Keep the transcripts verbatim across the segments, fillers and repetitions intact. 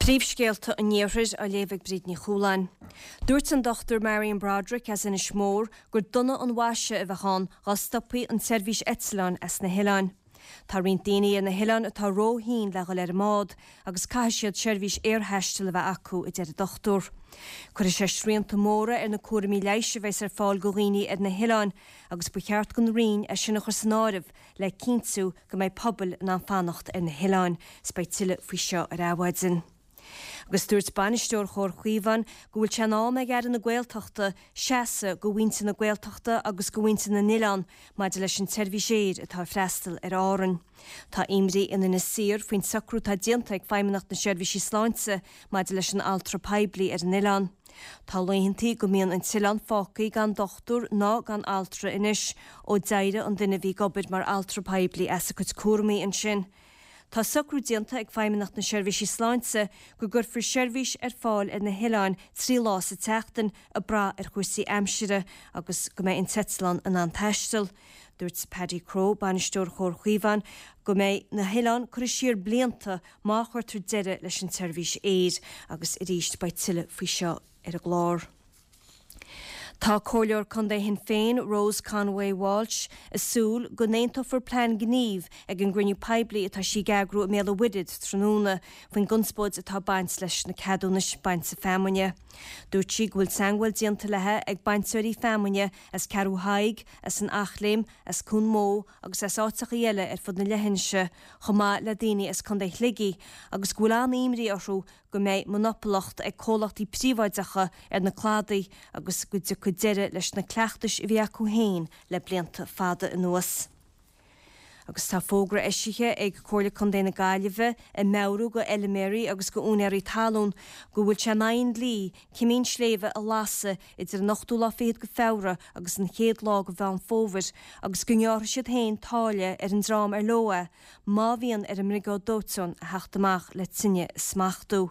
Príomhscéalta an Iarthair á léamh ag Bríd Ní Chualáin. Dúirt an Dr Marion Broderick as Inis Mór gur dona an mhaise a bheadh ann dá stopfaí an tseirbhís eitleáin as na hoileáin. Tá roinnt daoine ar na hoileáin atá róthinn le dhul ar an mbád agus caithfidh siad seirbhís aerthaistil a bheith acu a deir an dochtúir. Cuirfidh sé srianta móra ar na cúraimí leighis a bheas ar fáil do dhaoine ar na hoileáin agus ba cheart don Roinn é sin a chur san áireamh le cinntiú go mbeidh pobail in ann fanacht ar na hoileáin. 'S beidh tuilleadh faoi seo ar Adhmhaidin. Agus dúirt bainisteoir Chomhar Chaomhán go bhfuil sé in am ag Aire na Gaeltachta seasamh do mhuintir na Gaeltachta agus do mhuintir na n-oileán maidir leis an tseirbhís aeir atá ag freastal ar Árainn. Tá imní in Inis Oírr faoin socrú atá déanta ag Feidhmeannacht na Seirbhísí Sláinte maidir leis an altra poiblí ar an oileán. Tá laethantaí go mbíonn an t-oileán fágtha gan dochtúir ná gan altra anois ó d'éirigh an duine a bhí ag obair mar altra poiblí as a cuid cúraimí ansin. Tá socrú déanta ag Feidhmeannacht na Seirbhísí Sláinte go gcuirfear seirbhís ar fáil ar na hoileáin trí lá sa tseachtain ag brath ar chúrsaí aimsire agus go mbeidh an t-eitleán in ann taisteal. Dúirt Paddy Crow, bainisteoir Chomhar Chaomhán, go mbeidh na hoileáin curtha siar blianta má chuirtear deireadh leis an tseirbhís aeir agus arís beidh tuilleadh faoi seo ar an gclár. Tá Comhairleoir Contae Shinn Féin Rose Conway Walsh ag súil go n-aontófar plean gnímh ag an gcruinniú poiblí atá sí ag eagrú i mBéal an Mhuirthead tráthnóna faoin gconspóid atá ag baint leis na ceadúnais bainte feamainne. Dúirt sí go bhfuil teagmháil déanta léi ag bainteoirí feamainne as Ceathrú Thaidhg, as an Eachléim, as Cuan Mó agus as áiteachaí eile ar fud na leithinse, chomh maith le daoine as Contae Shligigh, agus go bhfuil an-imní orthu go mbeidh monopolacht ag comhlachtaí príobháideacha ar na cladaí agus go dtiocfaidh deireadh leis na cleachtais a bhí acu féin le blianta fada anuas. Agus tá fógra eisithe ag Comhairle Contae na Gaillimhe ag meabhrú do fheilméaraí agus do úinéirí talún go bhfuil sé in aghaidh an dlí cimín sléibhe a lasadh idir an ochtú lá fichead de Feabhra agus an chéad lá de Mheán Fómhair agus go ngearrfaidh siad féin táille ar an dream ar leo é má bhíonn ar an mbriogáid dóiteáin a theacht amach le tine a smachtú.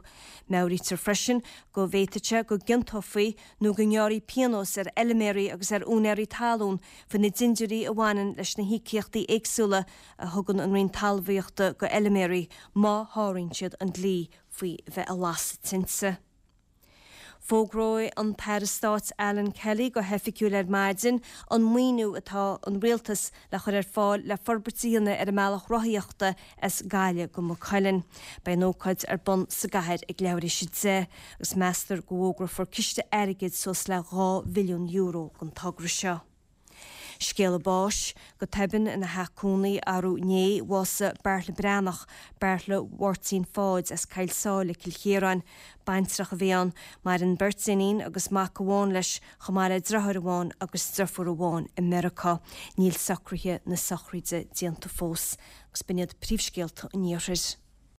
Meabhraítear freisin go bhféadfadh sé go gciontófaí nó go ngearrfaí pionós ar fheilméaraí agus ar úinéirí talún faoi na dindiúirí a bhaineann leis na híocaíochtaí éagsúla a thugann an Roinn Talmhaíochta do fheilméaraí má sháraíonn siad an dlí faoi bheith ag lasadh tinte. Fógróidh an tAire Stáit Alan Kelly go hoifigiúil ar maidin an maoiniú atá an rialtas le chur ar fáil le forbairt a dhéanamh ar an mbealach rothaíochta as Gaillimh go Maigh Cuilinn. Beidh an ócáid ar bun sa gcathair ag leathuair tar éis a deich agus meastar go bhfógrófar ciste airgid suas le dhá mhilliún euro don togra seo. Scéala báis, go tobann ina theach cónaí arú inné, bhásaigh Beartla Breathnach, Beartla Mháirtín Pháid as Cill Sáile, Cill Chiaráin. Baintreach a bhí ann. Maireann beirt iníon agus mac amháin leis, chomh maith le deartháir amháin agus deirfiúr amháin i Meiriceá. Níl socruithe na sochraide déanta fós. Agus b'in iad príomhscéalta an Iarthair.